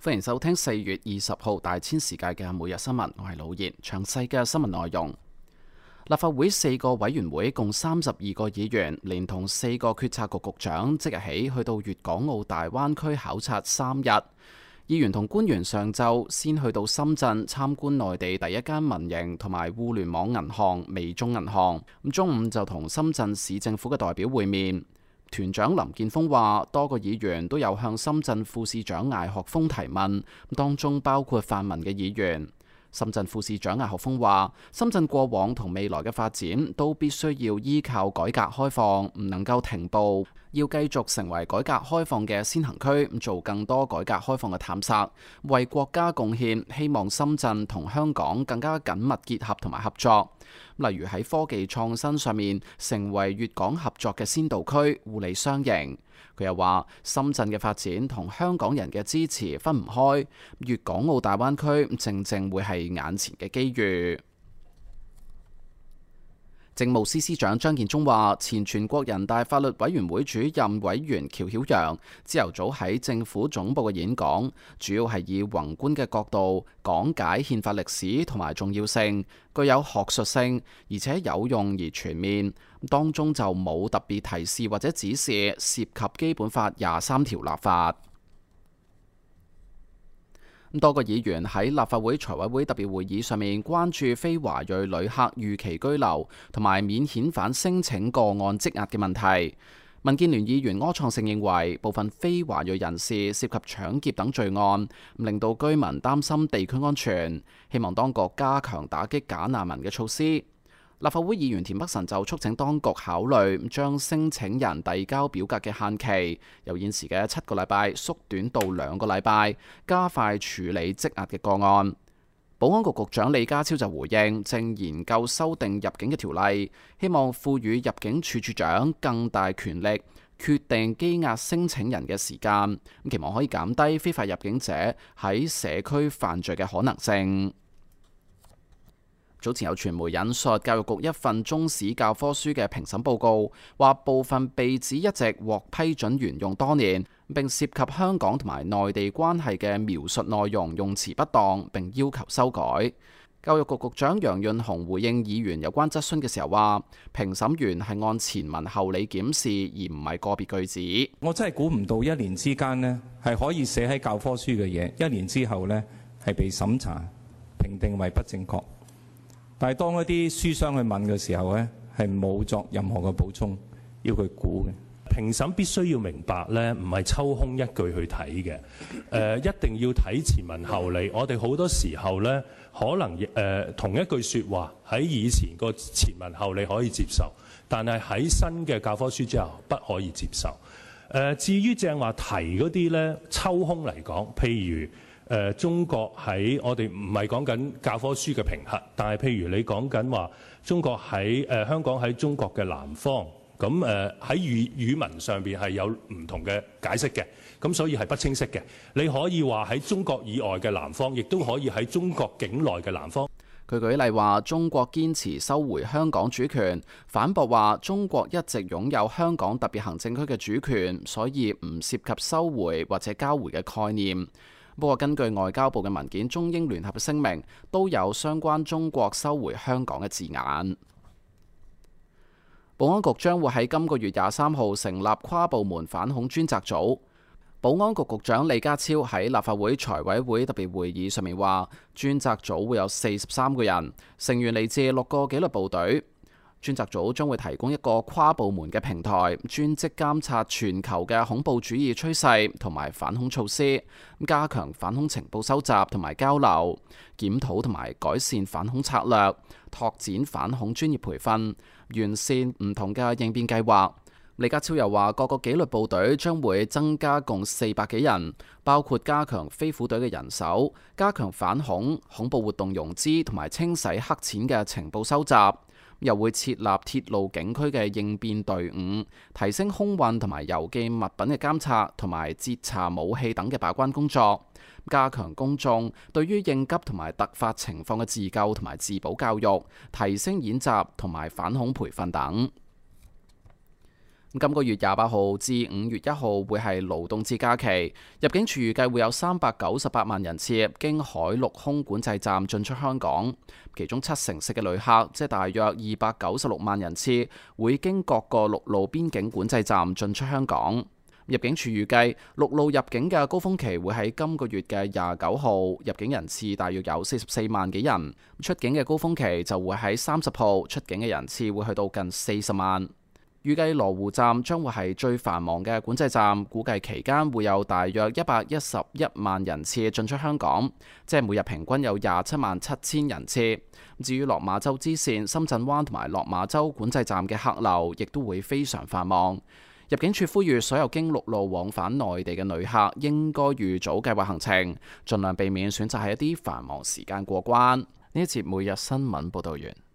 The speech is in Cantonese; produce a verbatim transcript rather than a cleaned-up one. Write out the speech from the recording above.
歡迎收聽四月二十號大千世界嘅每日新聞，我係老葉。詳細嘅新聞內容，立法會四個委員會共三十二個議員，連同四個決策局局長，即日起去到粵港澳大灣區考察三日。議員同官員上晝先去到深圳參觀內地第一間民營同埋互聯網銀行微眾銀行，咁中午就同深圳市政府嘅代表會面。團長林健鋒話，多個議員都有向深圳副市長艾學鋒提問，當中包括泛民嘅議員。深圳副市長艾學鋒話，深圳過往同未來嘅發展都必須要依靠改革開放，唔能夠停步，要繼續成為改革開放嘅先行區，做更多改革開放嘅探索，為國家貢獻。希望深圳同香港更加緊密結合同埋合作，例如喺科技創新上面成為粵港合作嘅先導區，互利雙贏。佢又話，深圳嘅發展同香港人嘅支持分唔開，粵港澳大灣區正正會係眼前嘅機遇。政務司司長張建宗話，前全國人大法律委員會主任委員喬曉陽朝頭早喺政府總部嘅演講，主要係以宏觀嘅角度講解憲法歷史同埋重要性，具有學術性，而且有用而全面。當中就冇特別提示或者指示涉及基本法廿三條立法。多個議員喺立法會財委會特別會議上面關注非華裔旅客預期居留同埋免遣返申請個案積壓嘅問題。民建聯議員柯創盛認為，部分非華裔人士涉及搶劫等罪案，令到居民擔心地區安全，希望當局加強打擊假難民嘅措施。立法會議員田北辰就促請當局考慮將申請人遞交表格嘅限期由現時嘅七個禮拜縮短到兩個禮拜，加快處理積壓嘅個案。保安局局長李家超就回應，正研究修訂入境嘅條例，希望賦予入境處處長更大權力，決定羈押申請人嘅時間，期望可以減低非法入境者喺社區犯罪嘅可能性。早前有傳媒引述教育局一份中史教科書嘅評審報告，話部分被指一直獲批准沿用多年，並涉及香港同埋內地關係嘅描述內容用詞不當，並要求修改。教育局局長楊潤雄回應議員有關質詢嘅時候話，評審員係按前文後理檢視，而唔係個別句子。我真係估唔到一年之間呢係可以寫喺教科書嘅嘢，一年之後呢係被審查評定為不正確。但係當一啲書商去問嘅時候咧，係冇作任何嘅補充，要佢估嘅。評審必須要明白咧，唔係抽空一句去睇嘅，誒、呃、一定要睇前文後理。我哋好多時候咧，可能誒、呃、同一句説話喺以前個前文後理可以接受，但係喺新嘅教科書之後不可以接受。誒、呃、至於正話提嗰啲咧，抽空嚟講，譬如，誒、呃、中國喺我哋唔係講緊教科書嘅評核，但係譬如你講緊話中國喺誒、呃、香港喺中國嘅南方，咁誒喺語語文上邊係有唔同嘅解釋嘅，咁所以係不清晰嘅。你可以話喺中國以外嘅南方，亦都可以喺中國境內嘅南方。佢舉例話，中國堅持收回香港主權，反駁話中國一直擁有香港特別行政區嘅主權，所以唔涉及收回或者交回嘅概念。不過，根據外交部嘅文件，中英聯合嘅聲明都有相關中國收回香港嘅字眼。保安局將會喺今個月廿三號成立跨部門反恐專責組。保安局局長李家超喺立法會財委會特別會議上面話，專責組會有四十三個人，成員嚟自六個紀律部隊。專責組將會提供一個跨部門嘅平台，專職監察全球嘅恐怖主義趨勢同埋反恐措施，加強反恐情報收集同埋交流，檢討同埋改善反恐策略，拓展反恐專業培訓，完善唔同嘅應變計劃。李家超又話，各個紀律部隊將會增加共四百幾人，包括加強飛虎隊嘅人手，加強反恐、恐怖活動融資同埋清洗黑錢嘅情報收集。又會設立鐵路警區嘅應變隊伍，提升空運同埋郵寄物品嘅監察同埋截查武器等嘅把關工作，加強公眾對於應急同埋突發情況嘅自救同埋自保教育，提升演習同埋反恐培訓等。今個月廿八號至五月一號會係勞動節假期，入境處預計會有三百九十八萬人次經海陸空管制站進出香港，其中七成四嘅旅客，即係大約二百九十六萬人次，會經各個陸路邊境管制站進出香港。入境處預計陸路入境嘅高峰期會喺今個月嘅廿九號，入境人次大約有四十四萬幾人；出境嘅高峰期就會喺三十號，出境嘅人次會去到近四十萬。預計羅湖站將會係最繁忙嘅管制站，估計期間會有大約一百一十一萬人次進出香港，即係每日平均有廿七萬七千人次。至於落馬洲支線、深圳灣同埋落馬洲管制站嘅客流，亦都會非常繁忙。入境處呼籲所有經陸路往返內地嘅旅客應該預早計劃行程，盡量避免選擇喺一啲繁忙時間過關。呢一節每日新聞報道完。